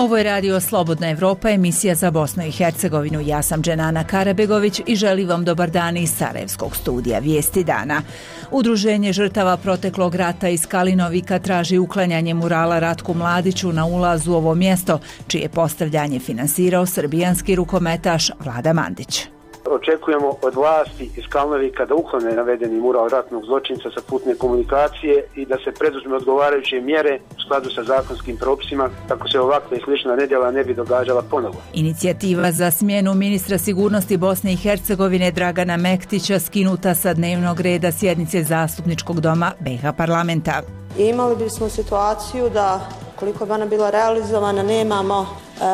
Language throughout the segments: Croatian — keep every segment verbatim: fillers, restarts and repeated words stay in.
Ovo je radio Slobodna Evropa, emisija za Bosnu i Hercegovinu. Ja sam Dženana Karabegović i želim vam dobar dan iz Sarajevskog studija Vijesti dana. Udruženje žrtava proteklog rata iz Kalinovika traži uklanjanje murala Ratku Mladiću na ulazu u ovo mjesto, čije postavljanje finansirao srbijanski rukometaš Vlada Mandić. Očekujemo od vlasti iz Kalinovika da uklone navedeni mural ratnog zločinca sa putne komunikacije i da se preduzme odgovarajuće mjere u skladu sa zakonskim propisima kako se ovakve i slična nedjela ne bi događala ponovo. Inicijativa za smjenu ministra sigurnosti Bosne i Hercegovine Dragana Mektića skinuta sa dnevnog reda sjednice Zastupničkog doma B iH parlamenta. Imali bismo situaciju da, koliko bi ona bila realizovana, nemamo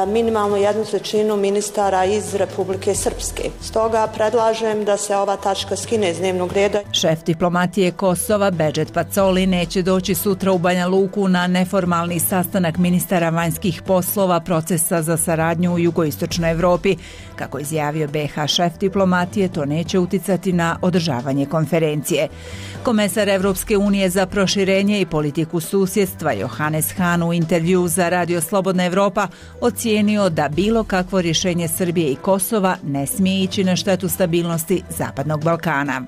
minimalno jednu trećinu ministara iz Republike Srpske. Stoga predlažem da se ova tačka skine iz dnevnog reda. Šef diplomatije Kosova Bedžet Pacoli neće doći sutra u Banja Luku na neformalni sastanak ministara vanjskih poslova procesa za saradnju u jugoistočnoj Evropi. Kako izjavio B iH šef diplomatije, to neće uticati na održavanje konferencije. Komesar Evropske unije za proširenje i politiku susjedstva Johannes Hahn u intervju za Radio Slobodna Evropa ocijenio da bilo kakvo rješenje Srbije i Kosova ne smije ići na štetu stabilnosti Zapadnog Balkana.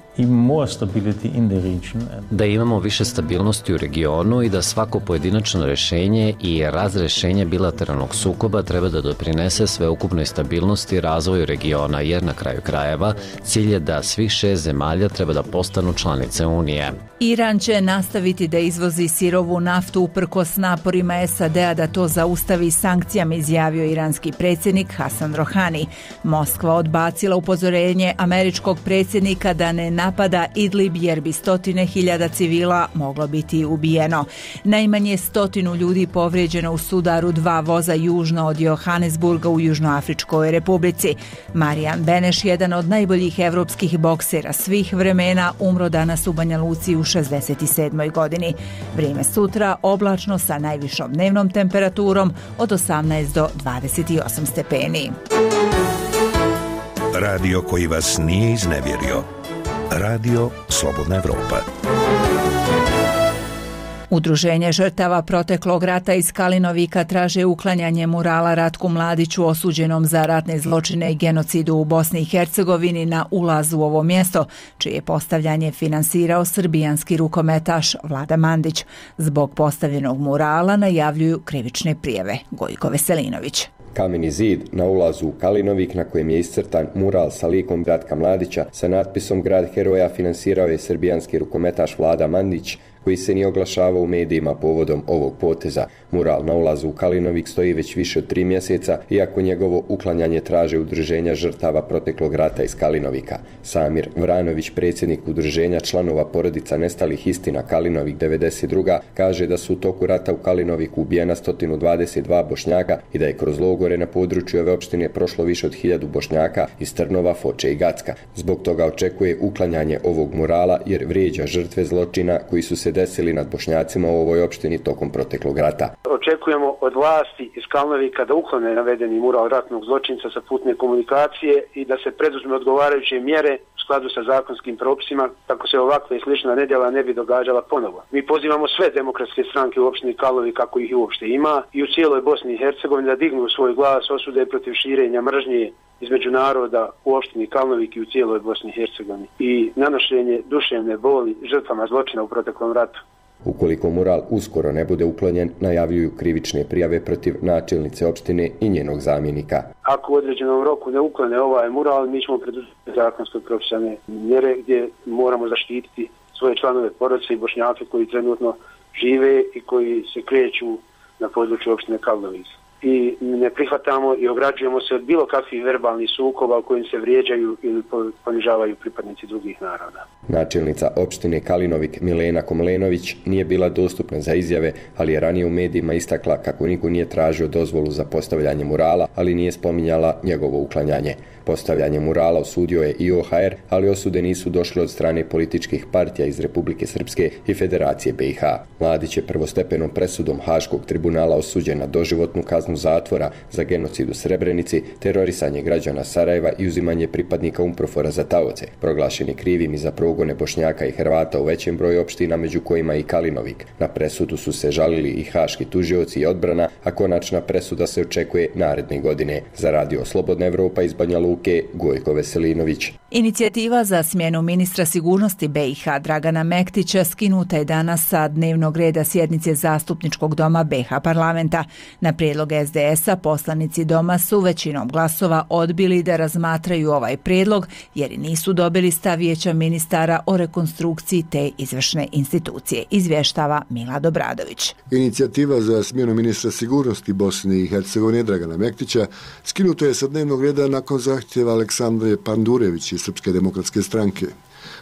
Da imamo više stabilnosti u regionu i da svako pojedinačno rješenje i razrješenje bilateralnog sukoba treba da doprinese sveukupnoj stabilnosti i razvoju regiona, jer na kraju krajeva cilj je da svih šest zemalja treba da postanu članice Unije. Iran će nastaviti da izvozi sirovu naftu uprkos naporima S A D-a da to zaustavi sankcijama, izjavio iranski predsjednik Hasan Rohani. Moskva odbacila upozorenje američkog predsjednika da ne napada Idlib jer bi stotine hiljada civila moglo biti ubijeno. Najmanje stotinu ljudi povrijeđeno u sudaru dva voza južno od Johannesburga u Južnoafričkoj Republici. Marijan Beneš, jedan od najboljih evropskih boksera svih vremena, umro danas u Banja Luci u šezdeset sedmoj godini. Vrijeme sutra oblačno sa najvišom dnevnom temperaturom od osamnaest do dvadeset osam stepeni. Radio koji vas nije iznevjerio. Radio Slobodna Evropa. Udruženje žrtava proteklog rata iz Kalinovika traže uklanjanje murala Ratku Mladiću osuđenom za ratne zločine i genocidu u Bosni i Hercegovini na ulazu u ovo mjesto, čije postavljanje finansirao srbijanski rukometaš Vlada Mandić. Zbog postavljenog murala najavljuju krivične prijave. Gojko Veselinović. Kameni zid na ulazu u Kalinovik na kojem je iscrtan mural sa likom Ratka Mladića sa natpisom Grad heroja finansirao je srbijanski rukometaš Vlada Mandić, koji se nije oglašavao u medijima povodom ovog poteza. Mural na ulazu u Kalinovik stoji već više od tri mjeseca, iako njegovo uklanjanje traže udruženja žrtava proteklog rata iz Kalinovika. Samir Vranović, predsjednik udruženja članova porodica nestalih istina Kalinovik devedeset druga, kaže da su u toku rata u Kalinoviku ubijena sto dvadeset dva Bošnjaka i da je kroz logore na području ove opštine prošlo više od hiljadu Bošnjaka iz Trnova, Foče i Gacka. Zbog toga očekuje uklanjanje ovog murala jer vrijeđa žrtve zločina koji su se desili nad Bošnjacima u ovoj opštini tokom proteklog rata. Očekujemo od vlasti iz Kalinovika da uklone navedeni mural ratnog zločinca sa putne komunikacije i da se preduzme odgovarajuće mjere u skladu sa zakonskim propisima kako se ovakve i slična nedjela ne bi događala ponovo. Mi pozivamo sve demokratske stranke u opštini Kalinovik, kako ih uopšte ima, i u cijeloj Bosni i Hercegovini da dignu svoj glas osude protiv širenja mržnje između naroda u opštini Kalinovik i u cijeloj Bosni i Hercegovini i nanošenje duševne boli žrtvama zločina u proteklom ratu. Ukoliko mural uskoro ne bude uklonjen, najavljuju krivične prijave protiv načelnice opštine i njenog zamjenika. Ako u određenom roku ne uklone ovaj mural, mi ćemo preduzeti zakonsko propisane mjere gdje moramo zaštititi svoje članove porodice i Bošnjake koji trenutno žive i koji se kreću na području opštine Kalinovik. I ne prihvatamo i ograđujemo se od bilo kakvih verbalnih sukoba u kojim se vrijeđaju ili ponižavaju pripadnici drugih naroda. Načelnica opštine Kalinovik Milena Komlenović nije bila dostupna za izjave, ali je ranije u medijima istakla kako niko nije tražio dozvolu za postavljanje murala, ali nije spominjala njegovo uklanjanje. Postavljanje murala osudio je i O H R, ali osude nisu došle od strane političkih partija iz Republike Srpske i Federacije B i H. Mladić je prvostepenom presudom Haškog tribunala osuđen na doživotnu kaznu zatvora za genocid u Srebrenici, terorisanje građana Sarajeva i uzimanje pripadnika UNPROFOR-a za taoce. Proglašen je krivim i za progone Bošnjaka i Hrvata u većem broju opština, među kojima i Kalinovik. Na presudu su se žalili i haški tužioci i odbrana, a konačna presuda se očekuje naredne godine. Za Radio Slobodna Evropa iz Banja Luke, Gojko Veselinović. Inicijativa za smjenu ministra sigurnosti B i H Dragana Mektića skinuta je danas sa dnevnog reda sjednice Zastupničkog doma B i H parlamenta. Na prijedlog S D S-a poslanici doma su većinom glasova odbili da razmatraju ovaj prijedlog jer nisu dobili stav Vijeća ministara o rekonstrukciji te izvršne institucije, izvještava Milad Obradović. Inicijativa za smjenu ministra sigurnosti Bosne i Hercegovine Dragana Mektića skinuta je sa dnevnog reda nakon zahtjeva Aleksandre Pandurević iz Srpske demokratske stranke.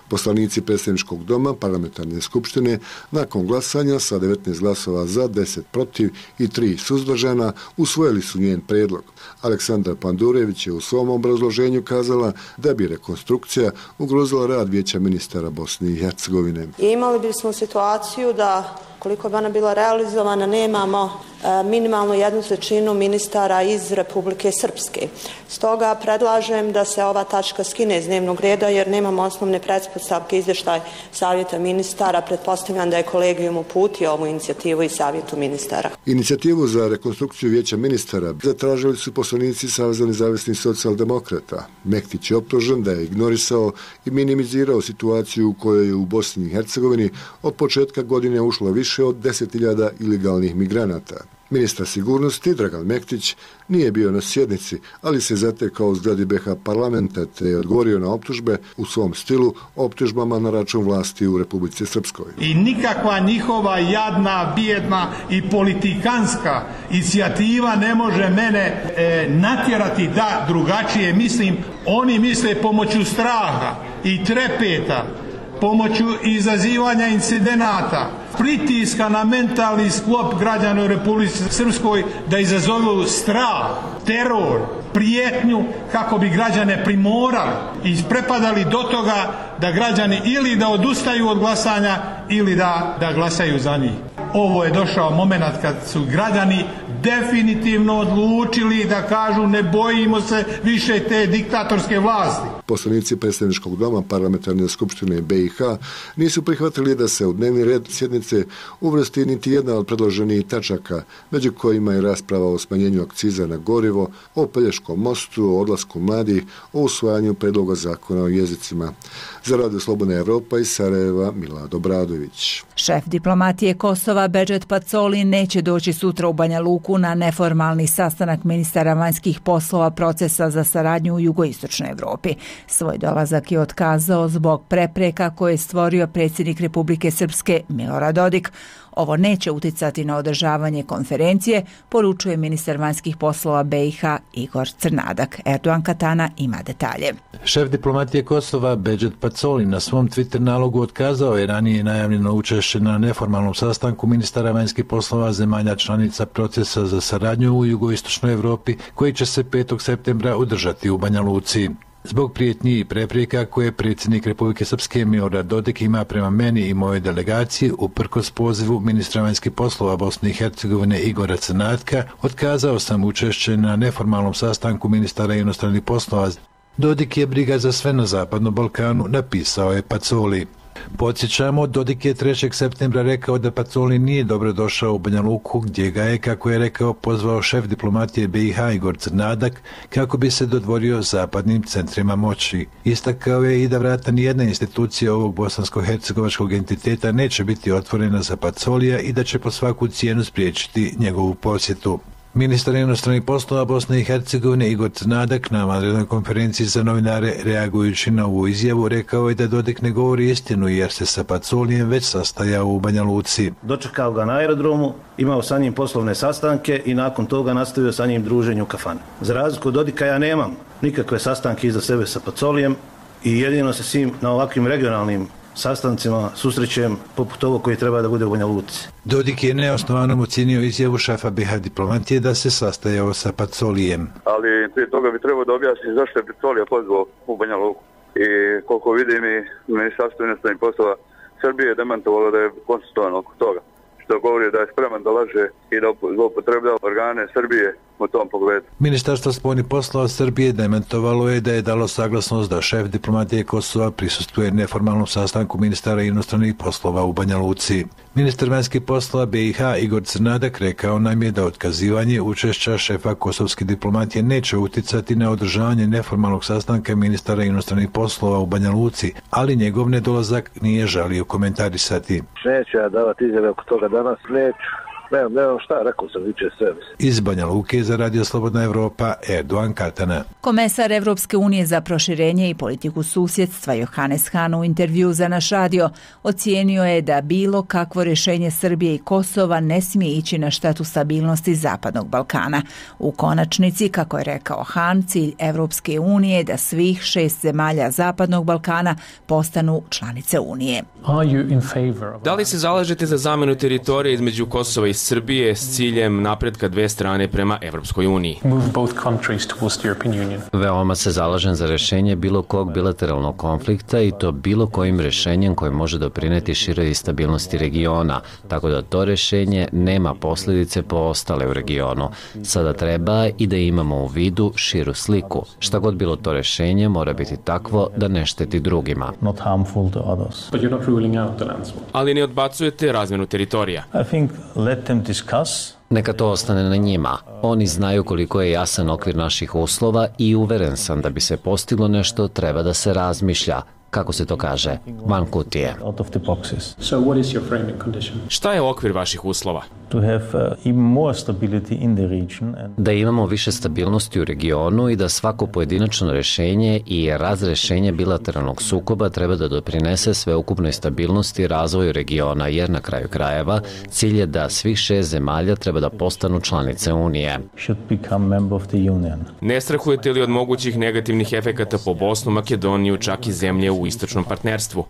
Poslanici predsjedničkog doma parlamentarne skupštine nakon glasanja sa devetnaest glasova za, deset protiv i tri suzdržana usvojili su njen prijedlog. Aleksandra Pandurević je u svom obrazloženju kazala da bi rekonstrukcija ugrozila rad Vijeća ministara Bosne i Hercegovine. I imali bismo situaciju da koliko bi ona bila realizovana, nemamo e, minimalno jednu trećinu ministara iz Republike Srpske. Stoga predlažem da se ova tačka skine iz dnevnog reda jer nemamo osnovne pretpostavke izvještaj Savjeta ministara. Pretpostavljam da je kolegijum uputio ovu inicijativu i Savjetu ministara. Inicijativu za rekonstrukciju Vijeća ministara zatražili su poslanici Saveza nezavisnih socijaldemokrata. Mektić je optužen da je ignorisao i minimizirao situaciju u kojoj je u Bosni i Hercegovini od početka godine ušlo više od deset hiljada ilegalnih migranata. Ministar sigurnosti Dragan Mektić nije bio na sjednici, ali se zatekao u zgradi B i H parlamenta te je odgovorio na optužbe u svom stilu optužbama na račun vlasti u Republici Srpskoj. I nikakva njihova jadna, bijedna i politikanska inicijativa ne može mene e, natjerati da drugačije mislim. Oni misle pomoću straha i trepeta, pomoću izazivanja incidenata, pritiska na mentalni sklop građana u Republici Srpskoj da izazovu strah, teror, prijetnju kako bi građane primorali i prepadali do toga da građani ili da odustaju od glasanja ili da, da glasaju za njih. Ovo je došao moment kad su građani definitivno odlučili da kažu ne bojimo se više te diktatorske vlasti. Poslanici predsjedničkog doma parlamentarne skupštine B i H nisu prihvatili da se u dnevni red sjednice uvrsti niti jedna od predloženih tačaka, među kojima je rasprava o smanjenju akciza na gorivo, o Pelješkom mostu, o odlasku mladih, o usvajanju predloga zakona o jezicima. Za Radio Slobodna Evropa iz Sarajeva, Milad Obradović. Šef diplomatije Kosova Bedžet Pacoli neće doći sutra u Banja Luku na neformalni sastanak ministara vanjskih poslova procesa za saradnju u jugoistočnoj Evropi. Svoj dolazak je otkazao zbog prepreka koje je stvorio predsjednik Republike Srpske Milorad Dodik. Ovo neće uticati na održavanje konferencije, poručuje ministar vanjskih poslova B i H Igor Crnadak. Erdogan Katana ima detalje. Šef diplomatije Kosova Bedžet Pacoli na svom Twitter nalogu otkazao je ranije najavljeno učešće na neformalnom sastanku ministara vanjskih poslova zemalja članica procesa za saradnju u jugoistočnoj Evropi koji će se petog septembra održati u Banja Luci. Zbog prijetnji i prepreka koje predsjednik Republike Srpske Milorad Dodik ima prema meni i mojoj delegaciji uprkos pozivu ministra vanjskih poslova Bosne i Hercegovine Igora Crnatka, otkazao sam učešće na neformalnom sastanku ministara inostranih poslova. Dodik je briga za sve na Zapadnom Balkanu, napisao je Pacoli. Podsjećamo, Dodik je trećeg septembra rekao da Pacoli nije dobro došao u Banja Luku, gdje ga je, kako je rekao, pozvao šef diplomatije B i H Igor Crnadak kako bi se dodvorio zapadnim centrima moći. Istakao je i da vrata nijedna institucija ovog bosansko-hercegovačkog entiteta neće biti otvorena za Pacolija i da će po svaku cijenu spriječiti njegovu posjetu. Ministar inostranih poslova Bosne i Hercegovine Igor Crnadak na vanrednoj konferenciji za novinare reagujući na ovu izjavu rekao je da Dodik ne govori istinu jer se sa Pacolijem već sastajao u Banja Luci. Dočekao ga na aerodromu, imao sa njim poslovne sastanke i nakon toga nastavio sa njim druženje u kafani. Za razliku od Dodika ja nemam nikakve sastanke iza sebe sa Pacolijem i jedino se s njim na ovakvim regionalnim sastancima susrećem poput ovo koji treba da bude u Banja Luci. Dodik je neosnovanom ocijenio izjavu šefa B iH diplomatije da se sastajao sa Pacolijem. Ali prije toga bi trebao da objasni zašto je Pacolija pozvao u Banja Luku. I koliko vidim i Ministarstvo inostranih poslova Srbije je demantovalo da je konstitutivno oko toga, što govori da je spreman da laže i da zloupotrebljava organe Srbije u tom pogledu. Ministarstvo spoljnih poslova Srbije demantovalo je da je dalo saglasnost da šef diplomatije Kosova prisustvuje neformalnom sastanku ministara inostranih poslova u Banja Luci. Ministar vanjskih poslova B iH Igor Crnadak rekao nam je da otkazivanje učešća šefa kosovske diplomatije neće uticati na održavanje neformalnog sastanka ministara inostranih poslova u Banja Luci, ali njegov nedolazak nije želio komentarisati. Neću ja davati izjave oko toga danas, neću. Nemam, nemam šta, rekao sam viče sve. Iz Banja Luke za Radio Slobodna Evropa, Erdogan Katana. Komesar Evropske unije za proširenje i politiku susjedstva Johannes Hahn u intervju za naš radio ocijenio je da bilo kakvo rješenje Srbije i Kosova ne smije ići na štetu stabilnosti Zapadnog Balkana. U konačnici, kako je rekao Hahn, cilj Evropske unije je da svih šest zemalja Zapadnog Balkana postanu članice Unije. Da li se zalažete za zamjenu teritorije između Kosova i Srbije s ciljem napretka dve strane prema Evropskoj uniji? Veoma se zalažem za rješenje bilo kog bilateralnog konflikta i to bilo kojim rješenjem koje može doprineti široj stabilnosti regiona, tako da to rješenje nema posljedice po ostale u regionu. Sada treba i da imamo u vidu širu sliku. Šta god bilo to rješenje mora biti takvo da ne šteti drugima. Ali ne odbacujete razmjenu teritorija? Neka to ostane na njima. Oni znaju koliko je jasan okvir naših uslova i uveren sam da bi se postiglo nešto treba da se razmišlja. Kako se to kaže? Van kutije. Šta je okvir vaših uslova? Da imamo više stabilnosti u regionu i da svako pojedinačno rješenje i razrješenje bilateralnog sukoba treba da doprinese sveukupnoj stabilnosti i razvoju regiona, jer na kraju krajeva cilj je da svih šest zemalja treba da postanu članice Unije. Ne strahujete li od mogućih negativnih efekata po Bosnu, Makedoniju, čak i zemlje u istočnom partnerstvu?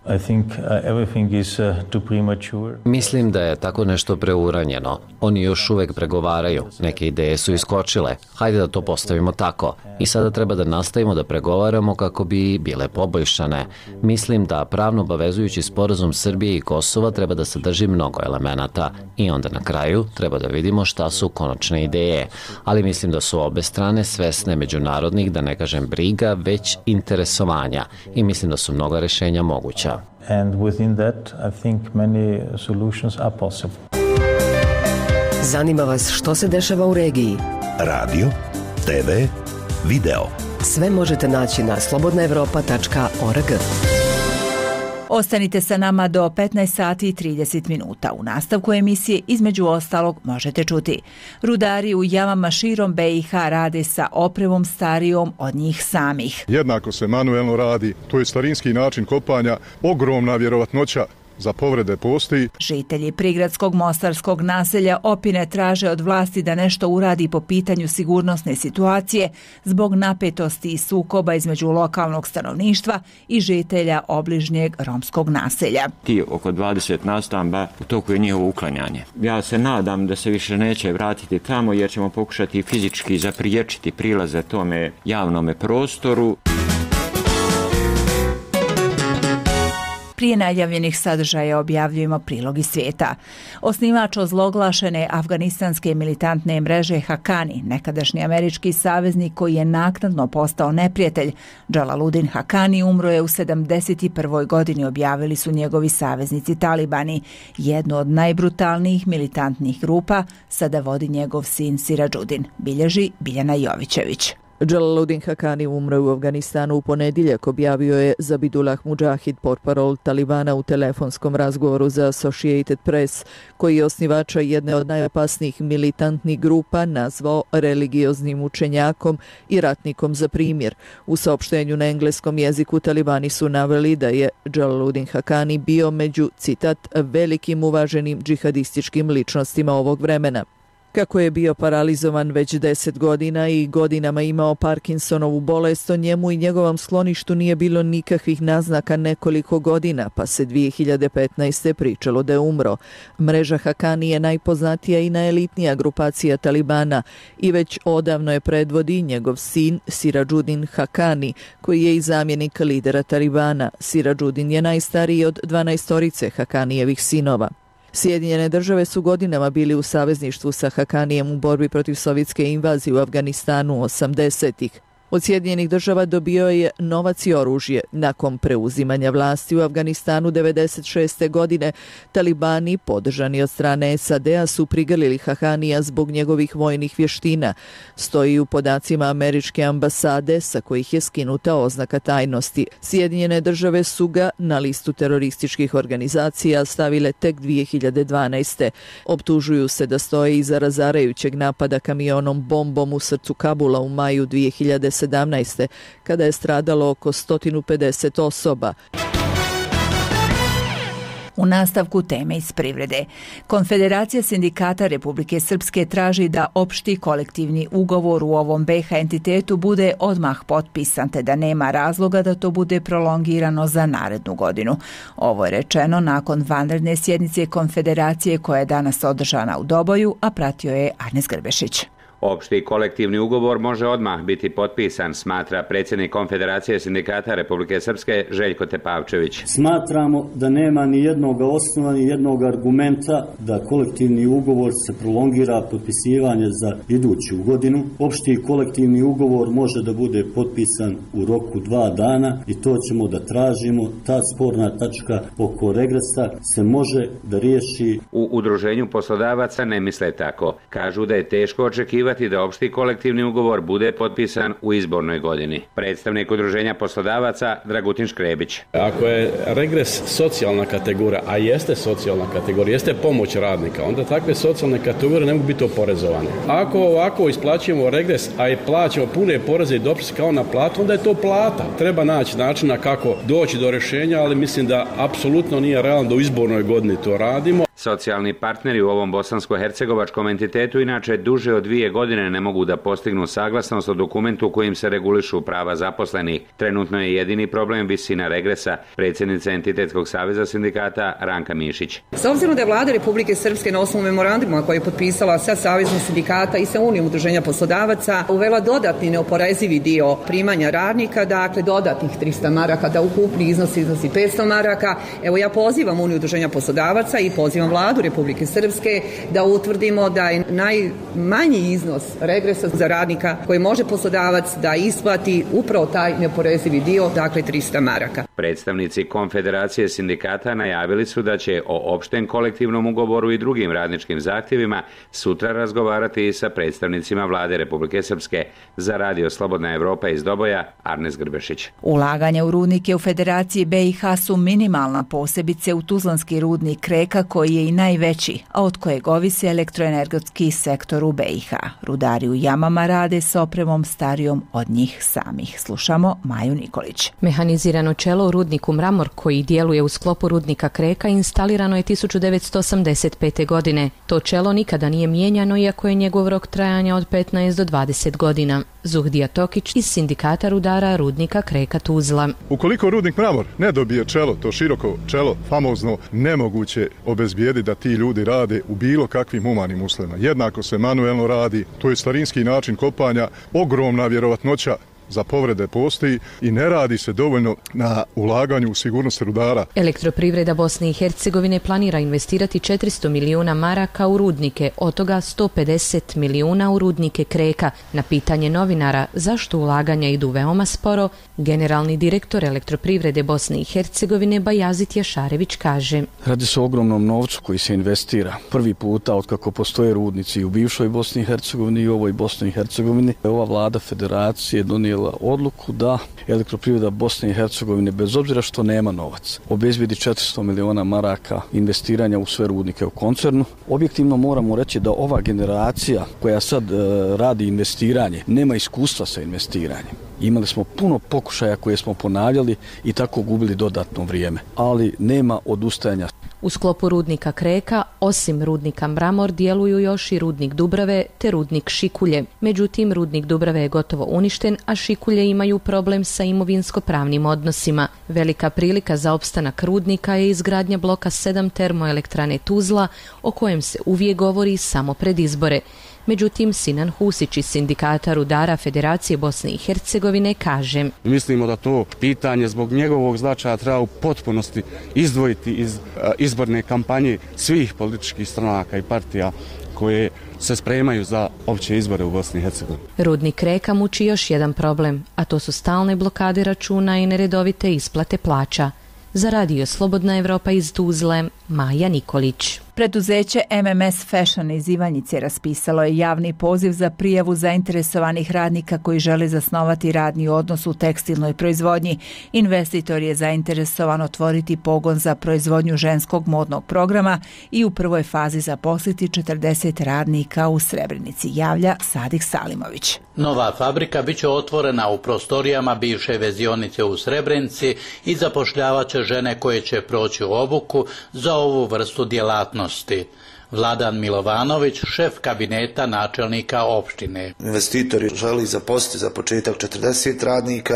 Mislim da je tako nešto preuranjeno. Oni još uvek pregovaraju. Neke ideje su iskočile. Hajde da to postavimo tako. I sada treba da nastavimo da pregovaramo kako bi bile poboljšane. Mislim da pravno obavezujući sporazum Srbije i Kosova treba da sadrži mnogo elemenata. I onda na kraju treba da vidimo šta su konačne ideje. Ali mislim da su obe strane svesne međunarodnih, da ne kažem briga, već interesovanja. I mislim da su mnoga rješenja moguća. And within that, I think many solutions are possible. Zanima vas što se dešava u regiji? Radio, te ve, video. Sve možete naći na slobodna evropa tačka org. Ostanite sa nama do petnaest sati i trideset minuta. U nastavku emisije između ostalog možete čuti: rudari u jamama širom B iH rade sa opremom starijom od njih samih. Jednako se manuelno radi, to je starinski način kopanja, ogromna vjerovatnoća za povrede postoji. Žitelji prigradskog mostarskog naselja Opine traže od vlasti da nešto uradi po pitanju sigurnosne situacije zbog napetosti i sukoba između lokalnog stanovništva i žitelja obližnjeg romskog naselja. Ti oko dvadeset nastamba, u toku je njihovo uklanjanje. Ja se nadam da se više neće vratiti tamo jer ćemo pokušati fizički zapriječiti prilaze tome javnome prostoru. Prije najavljenih sadržaja objavljujemo prilog iz svijeta. Osnivač ozloglašene afganistanske militantne mreže Hakani, nekadašnji američki saveznik koji je naknadno postao neprijatelj, Džalaludin Hakani, umro je u sedamdeset prvoj godini, objavili su njegovi saveznici Talibani. Jednu od najbrutalnijih militantnih grupa sada vodi njegov sin Siradžudin, bilježi Biljana Jovićević. Džalaludin Hakani umro u Afganistanu u ponedjeljak, objavio je Zabidullah Mujahid, portparol Talibana, u telefonskom razgovoru za Associated Press, koji je osnivača jedne od najopasnijih militantnih grupa nazvao religioznim učenjakom i ratnikom za primjer. U saopštenju na engleskom jeziku Talibani su naveli da je Džalaludin Hakani bio među, citat, velikim uvaženim džihadističkim ličnostima ovog vremena. Kako je bio paralizovan već deset godina i godinama imao Parkinsonovu bolest, o njemu i njegovom skloništu nije bilo nikakvih naznaka nekoliko godina, pa se dvije hiljade petnaeste. pričalo da je umro. Mreža Hakani je najpoznatija i najelitnija grupacija Talibana i već odavno je predvodi njegov sin Siradžudin Hakani, koji je i zamjenik lidera Talibana. Siradžudin je najstariji od dvanaestorice Hakanijevih sinova. Sjedinjene države su godinama bili u savezništvu sa Hakanijem u borbi protiv sovjetske invazije u Afganistanu osamdesetih. Od Sjedinjenih država dobio je novac i oružje. Nakon preuzimanja vlasti u Afganistanu devedeset šeste. godine, Talibani, podržani od strane S A D-a, su prigrlili Hakanija zbog njegovih vojnih vještina. Stoji u podacima američke ambasade sa kojih je skinuta oznaka tajnosti. Sjedinjene države su ga na listu terorističkih organizacija stavile tek dvije hiljade dvanaeste. Optužuju se da stoje iza razarajućeg napada kamionom bombom u srcu Kabula u maju dvije hiljade sedamnaeste. kada je stradalo oko sto pedeset osoba. U nastavku teme iz privrede. Konfederacija sindikata Republike Srpske traži da opšti kolektivni ugovor u ovom B iH entitetu bude odmah potpisan, te da nema razloga da to bude prolongirano za narednu godinu. Ovo je rečeno nakon vanredne sjednice Konfederacije koja je danas održana u Doboju, a pratio je Arnes Grbešić. Opšti kolektivni ugovor može odmah biti potpisan, smatra predsjednik Konfederacije sindikata Republike Srpske Željko Tepavčević. Smatramo da nema ni jednog osnova, ni jednog argumenta da kolektivni ugovor se prolongira potpisivanje za iduću godinu. Opšti kolektivni ugovor može da bude potpisan u roku dva dana i to ćemo da tražimo. Ta sporna tačka oko regresa se može da riješi. U udruženju poslodavaca ne misle tako. Kažu da je teško očekivati da opšti kolektivni ugovor bude potpisan u izbornoj godini. Predstavnik udruženja poslodavaca Dragutin Škrebić. Ako je regres socijalna kategorija, a jeste socijalna kategorija, jeste pomoć radnika, onda takve socijalne kategorije ne mogu biti oporezovane. Ako ovako isplaćujemo regres, a i plaćamo pune poreze i doprinose kao na platu, onda je to plata. Treba naći načina kako doći do rješenja, ali mislim da apsolutno nije realno da u izbornoj godini to radimo. Socijalni partneri u ovom bosansko-hercegovačkom entitetu inače duže od dvije godine ne mogu da postignu saglasnost o dokumentu kojim se regulišu prava zaposlenih. Trenutno je jedini problem visina regresa, predsjednica Entitetskog saveza sindikata Ranka Mišić. S obzirom da je vlada Republike Srpske na osnovu memoranduma koji je potpisala sa Savezom sindikata i sa Unijom udruženja poslodavaca uvela dodatni neoporezivi dio primanja radnika, dakle dodatnih trista maraka, da ukupni iznos iznosi petsto maraka. Evo ja pozivam Uniju udruženja poslodavaca i pozivam vladu Republike Srpske da utvrdimo da je najmanji iznos regresa za radnika koji može poslodavac da isplati upravo taj neoporezivi dio, dakle trista maraka. Predstavnici Konfederacije sindikata najavili su da će o opštem kolektivnom ugovoru i drugim radničkim zahtjevima sutra razgovarati i sa predstavnicima vlade Republike Srpske. Za Radio Slobodna Evropa iz Doboja, Arnes Grbešić. Ulaganja u rudnike u Federaciji B iH su minimalna, posebice u tuzlanski rudnik Kreka koji je i najveći, a od kojeg ovisi elektroenergetski sektor u B iH. Rudari u jamama rade s opremom starijom od njih samih. Slušamo Maju Nikolić. Mehanizirano čelo u rudniku Mramor koji djeluje u sklopu rudnika Kreka instalirano je tisuću devetsto osamdeset pete. godine. To čelo nikada nije mijenjano iako je njegov rok trajanja od petnaest do dvadeset godina. Zuhdija Tokić iz sindikata rudara rudnika Kreka Tuzla. Ukoliko rudnik Mramor ne dobije čelo, to široko čelo, famozno, nemoguće obezbijediti da ti ljudi rade u bilo kakvim humanim uslovima. Jednako se manuelno radi, to je starinski način kopanja, ogromna vjerovatnoća za povrede postoji i ne radi se dovoljno na ulaganju u sigurnost rudara. Elektroprivreda Bosne i Hercegovine planira investirati četiristo milijuna maraka u rudnike, od toga sto pedeset milijuna u rudnike Kreka. Na pitanje novinara zašto ulaganja idu veoma sporo, generalni direktor Elektroprivrede Bosne i Hercegovine Bajazit Jašarević kaže: Radi se o ogromnom novcu koji se investira. Prvi puta od kako postoje rudnici u bivšoj Bosni i Hercegovini i ovoj Bosni i Hercegovini, ova vlada federacije donijela odluku da Elektroprivreda Bosne i Hercegovine, bez obzira što nema novac, obezbijedi četiristo milijuna maraka investiranja u sve rudnike u koncernu. Objektivno moramo reći da ova generacija koja sad e, radi investiranje nema iskustva sa investiranjem. Imali smo puno pokušaja koje smo ponavljali i tako gubili dodatno vrijeme, ali nema odustajanja. U sklopu rudnika Kreka, osim rudnika Mramor, djeluju još i rudnik Dubrave te rudnik Šikulje. Međutim, rudnik Dubrave je gotovo uništen, a Šikulje imaju problem sa imovinsko-pravnim odnosima. Velika prilika za opstanak rudnika je izgradnja bloka sedam termoelektrane Tuzla, o kojem se uvijek govori samo pred izbore. Međutim, Sinan Husić iz Sindikata rudara Federacije Bosne i Hercegovine kaže: Mislimo da to pitanje zbog njegovog značaja treba u potpunosti izdvojiti iz izborne kampanje svih političkih stranaka i partija koje se spremaju za opće izbore u Bosni i Hercegovini. Rudnik Reka muči još jedan problem, a to su stalne blokade računa i neredovite isplate plaća. Za radio Slobodna Evropa iz Tuzle, Maja Nikolić. Preduzeće M M S Fashion iz Ivanjice raspisalo je javni poziv za prijavu zainteresovanih radnika koji žele zasnovati radni odnos u tekstilnoj proizvodnji. Investitor je zainteresovan otvoriti pogon za proizvodnju ženskog modnog programa i u prvoj fazi zaposliti četrdeset radnika u Srebrenici, javlja Sadik Salimović. Nova fabrika biće otvorena u prostorijama bivše vezionice u Srebrenici i zapošljavat će žene koje će proći obuku za ovu vrstu djelatnosti. Vladan Milovanović, šef kabineta načelnika opštine. Investitori želi zaposliti za početak četrdeset radnika,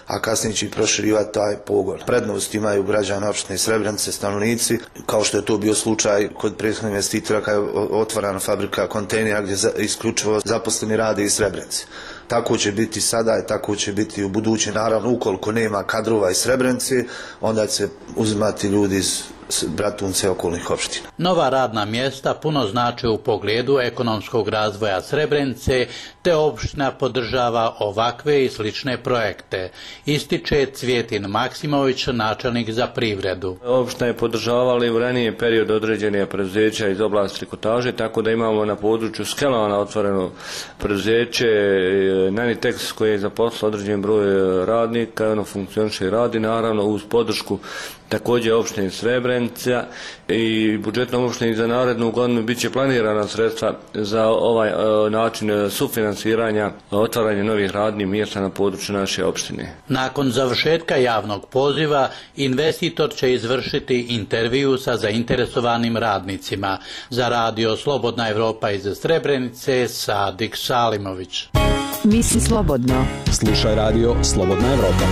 a kasnije će proširivati taj pogon. Prednost imaju građani opštine Srebrenice, stanovnici, kao što je to bio slučaj kod prethodnog investitora kada je otvorena fabrika kontejnera gdje isključivo zaposleni rade iz Srebrenice. Tako će biti sada i tako će biti u budući. Naravno, ukoliko nema kadrova iz Srebrenice, onda će se uzimati ljudi iz Bratunce okolnih opština. Nova radna mjesta puno znači u pogledu ekonomskog razvoja Srebrenice, te opština podržava ovakve i slične projekte, ističe Cvjetin Maksimović, načelnik za privredu. Opština je podržavala i u ranije period određene preduzeća iz oblasti trikotaže, tako da imamo na području Skelovana otvoreno preduzeće Nanitex koje je zaposlilo određen broj radnika, ono funkcioniše i radi, naravno uz podršku također opštine Srebrenica i budžetnom opštini za narednu godinu bit će planirana sredstva za ovaj e, način sufinansiranja, otvaranja novih radnih mjesta na području naše opštine. Nakon završetka javnog poziva, investitor će izvršiti intervju sa zainteresovanim radnicima. Za radio Slobodna Evropa iz Srebrenice, Sadik Salimović. Misli slobodno. Slušaj radio Slobodna Evropa.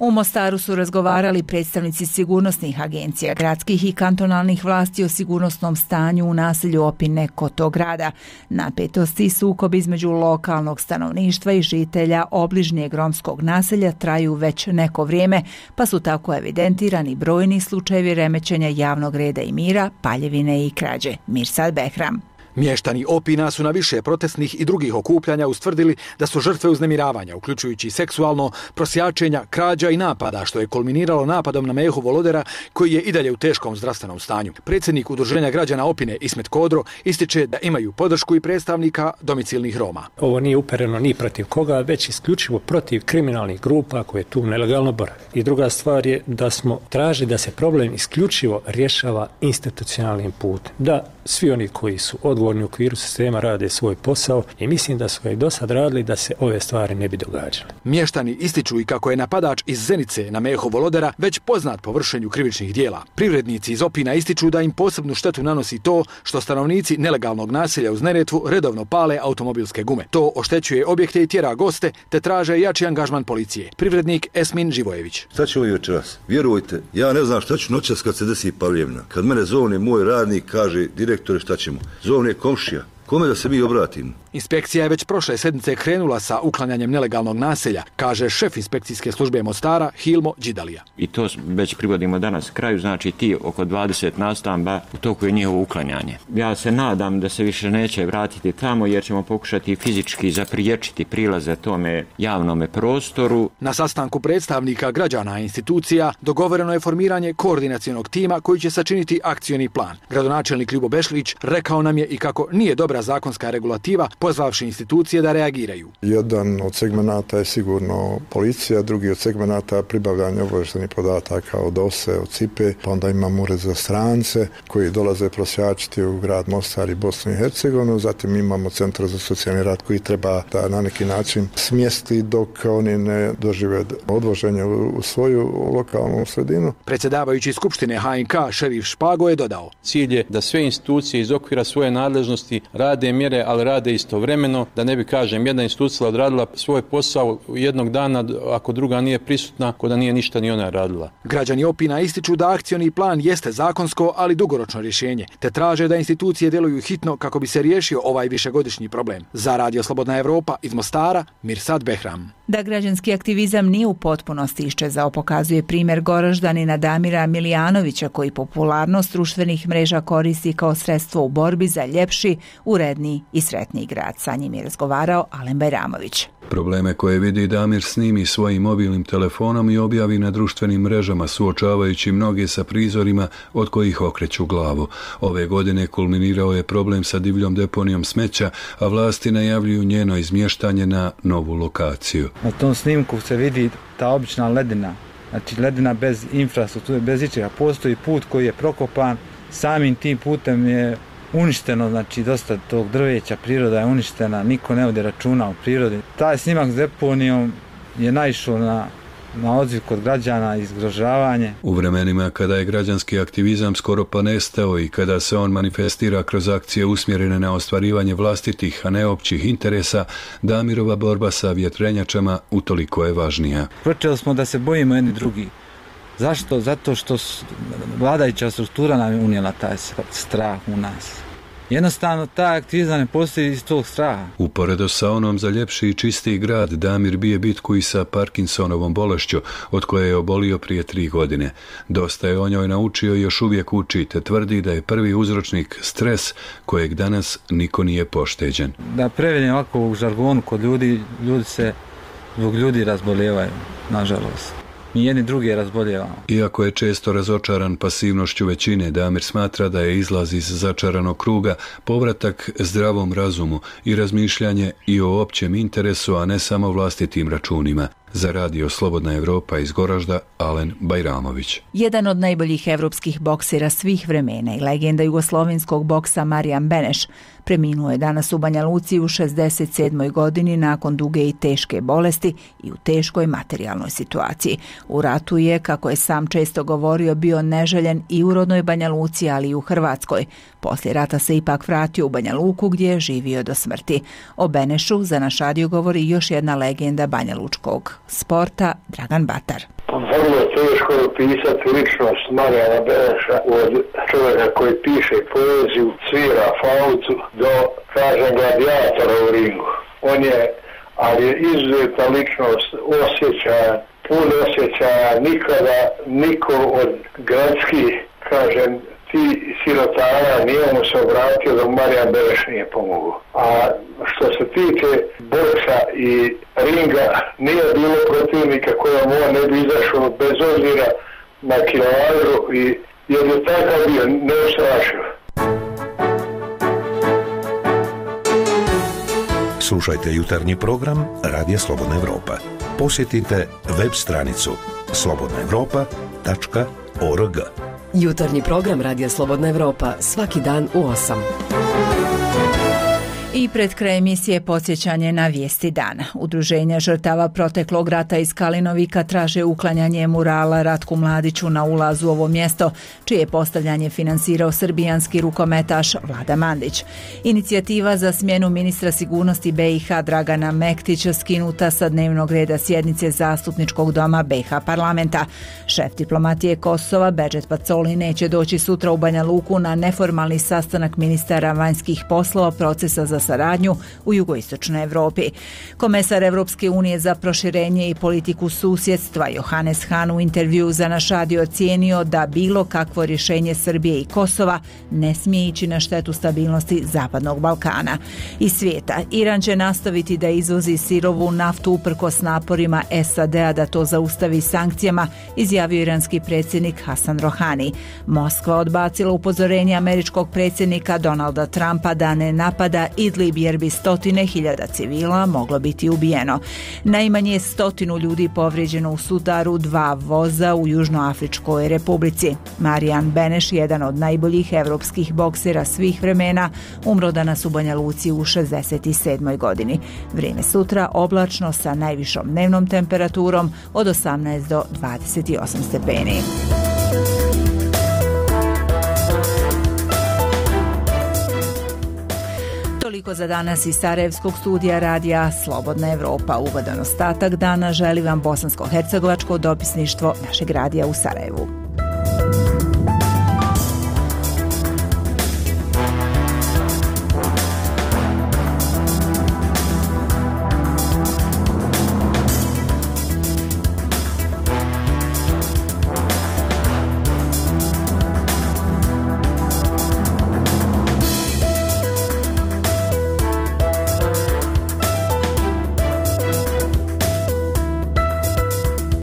U Mostaru su razgovarali predstavnici sigurnosnih agencija, gradskih i kantonalnih vlasti o sigurnosnom stanju u naselju Opine kod tog grada. Napetosti i sukob između lokalnog stanovništva i žitelja obližnjeg romskog naselja traju već neko vrijeme, pa su tako evidentirani brojni slučajevi remećenja javnog reda i mira, paljevine i krađe. Mirsad Behram. Mještani Opina su na više protestnih i drugih okupljanja ustvrdili da su žrtve uznemiravanja, uključujući seksualno, prosjačenja, krađa i napada, što je kulminiralo napadom na Mehu Volodera, koji je i dalje u teškom zdravstvenom stanju. Predsjednik Udruženja građana Opine Ismet Kodro ističe da imaju podršku i predstavnika domicilnih Roma. Ovo nije upereno ni protiv koga, već isključivo protiv kriminalnih grupa koje tu nelegalno borave. I druga stvar je da smo tražili da se problem isključivo rješava institucionalnim putem. Da svi oni koji su odgovorni u okviru sistema rade svoj posao i mislim da su ga i do sad radili da se ove stvari ne bi događale. Mještani ističu i kako je napadač iz Zenice na Meho Volodera već poznat po vršenju krivičnih dijela. Privrednici iz Opina ističu da im posebnu štetu nanosi to što stanovnici nelegalnog naselja uz Neretvu redovno pale automobilske gume. To oštećuje objekte i tjera goste, te traže jači angažman policije. Privrednik Esmin Živojević. Šta ćemo i večeras? Vjerujte, ja ne znam šta ću noćas kad se desi paljevna. Kad mene zovne moj radnik, kaže direktore šta ćemo. Zovne komšija. Kome da se mi obratimo? Inspekcija je već prošle sedmice krenula sa uklanjanjem nelegalnog naselja, kaže šef inspekcijske službe Mostara Hilmo Đidalija. I to već privodimo danas kraju, znači ti oko dvadeset nastamba u toku je njihovo uklanjanje. Ja se nadam da se više neće vratiti tamo jer ćemo pokušati fizički zapriječiti prilaze tome javnome prostoru. Na sastanku predstavnika građana i institucija dogovoreno je formiranje koordinacionog tima koji će sačiniti akcioni plan. Gradonačelnik Ljubo Bešlić rekao nam je i kako nije dobra dobra zakonska regulativa, pozvavši institucije da reagiraju. Jedan od segmenata je sigurno policija, drugi od segmenata pribavljanje obavještajnih podataka od O S E, od C I P E, pa onda imamo ured za strance koji dolaze prosjačiti u grad Mostar i Bosnu i Hercegovinu, zatim imamo centar za socijalni rad koji treba da na neki način smjesti dok oni ne dožive odvoženje u svoju lokalnu sredinu. Predsjedavajući Skupštine H N K šerif Špago je dodao: Cilj je da sve institucije iz okvira svoje nadležnosti rade mjere, ali rade istovremeno, da ne bi, kažem, jedna institucija odradila svoj posao jednog dana, ako druga nije prisutna, ko da nije ništa ni ona radila. Građani Opina ističu da akcioni plan jeste zakonsko, ali dugoročno rješenje, te traže da institucije djeluju hitno kako bi se riješio ovaj višegodišnji problem. Za Radio Slobodna Evropa iz Mostara, Mirsad Behram. Da građanski aktivizam nije u potpunosti iščezao, pokazuje primjer Goraždanina Damira Milijanovića, koji popularnost društvenih mreža koristi kao sredstvo u borbi za ljepši, uredniji i sretniji grad. Sa njim je razgovarao Alen Bajramović. Probleme koje vidi Damir snimi svojim mobilnim telefonom i objavi na društvenim mrežama, suočavajući mnoge sa prizorima od kojih okreću glavu. Ove godine kulminirao je problem sa divljom deponijom smeća, a vlasti najavljuju njeno izmještanje na novu lokaciju. Na tom snimku se vidi ta obična ledina, znači ledina bez infrastrukture, bez ičega. Postoji put koji je prokopan, samim tim putem je uništeno, znači dosta tog drveća, priroda je uništena, niko ne vodi računa o prirodi. Taj snimak s deponijom je naišao na na odziv kod građana i zgrožavanje. U vremenima kada je građanski aktivizam skoro pa nestao i kada se on manifestira kroz akcije usmjerene na ostvarivanje vlastitih, a ne općih interesa, Damirova borba sa vjetrenjačama utoliko je važnija. Počeli smo da se bojimo jedni drugi. Zašto? Zato što vladajuća struktura nam je unijela taj strah u nas. Jednostavno, taj aktivizam ne postoji iz tog straha. Uporedo sa onom za ljepši i čistiji grad, Damir bije bitku i sa Parkinsonovom bolešću, od koje je obolio prije tri godine. Dosta je o njoj naučio i još uvijek uči, te tvrdi da je prvi uzročnik stres kojeg danas niko nije pošteđen. Da prevedem ovako u žargonu kod ljudi, ljudi se zbog ljudi razboljevaju, nažalost. Mi jedni drugi razboljevamo. Iako je često razočaran pasivnošću većine, Damir smatra da je izlaz iz začaranog kruga povratak zdravom razumu i razmišljanje i o općem interesu, a ne samo vlastitim računima. Za Radio Slobodna Evropa iz Goražda, Alen Bajramović. Jedan od najboljih evropskih boksera svih vremena i legenda jugoslovenskog boksa Marijan Beneš preminuo je danas u Banja Luci u šezdeset sedmoj godini nakon duge i teške bolesti i u teškoj materijalnoj situaciji. U ratu je, kako je sam često govorio, bio neželjen i u rodnoj Banja Luci, ali i u Hrvatskoj. Poslije rata se ipak vratio u Banja Luku gdje je živio do smrti. O Benešu za naš radio govori još jedna legenda Banja Lučkog sporta, Dragan Batar. Vrlo teško je opisati ličnost Marijana Beneša, od čovjeka koji piše poeziju, svira flautu, do, kažem, gladijatora u ringu. On je, ali je izuzetna ličnost, osjećaja, pun osjećaja, nikada niko od gradskih, kažem, ti sirotara nije mu se obratio da Marijan Beneš nije pomogao. A što se tiče boksa i ringa, nije bilo protivnika kojom on ne bi izašao bez obzira na kilometru, i jer je takav bio neustrašiv. Slušajte jutarnji program Radija Slobodna Evropa. Posjetite web stranicu slobodna evropa tačka org. Jutarnji program Radija Slobodna Evropa svaki dan u osam. I pred kraj emisije podsjećanje na vijesti dana. Udruženja žrtava proteklog rata iz Kalinovika traže uklanjanje murala Ratku Mladiću na ulazu u ovo mjesto, čije je postavljanje finansirao srbijanski rukometaš Vlada Mandić. Inicijativa za smjenu ministra sigurnosti B i H Dragana Mektića skinuta sa dnevnog reda sjednice Zastupničkog doma B i H parlamenta. Šef diplomatije Kosova Bedžet Pacoli neće doći sutra u Banja Luku na neformalni sastanak ministara vanjskih poslova procesa za saradnju u jugoistočnoj Evropi. Komesar Evropske unije za proširenje i politiku susjedstva Johannes Hahn u intervju za naš radio ocijenio da bilo kakvo rješenje Srbije i Kosova ne smije ići na štetu stabilnosti Zapadnog Balkana i svijeta. Iran će nastaviti da izvozi sirovu naftu uprkos naporima S A D-a da to zaustavi sankcijama, izjavio iranski predsjednik Hasan Rohani. Moskva odbacila upozorenje američkog predsjednika Donalda Trumpa da ne napada Idlib jer bi stotine hiljada civila moglo biti ubijeno. Najmanje stotinu ljudi povrijeđeno u sudaru dva voza u Južnoafričkoj republici. Marijan Beneš, jedan od najboljih evropskih boksera svih vremena, umro danas u Banja Luci u šezdeset sedmoj godini. Vrijeme sutra oblačno sa najvišom dnevnom temperaturom od osamnaest do dvadeset osam stepeni. Toliko za danas iz Sarajevskog studija radija Slobodna Evropa. Ugodan ostatak dana želi vam bosansko-hercegovačko dopisništvo našeg radija u Sarajevu.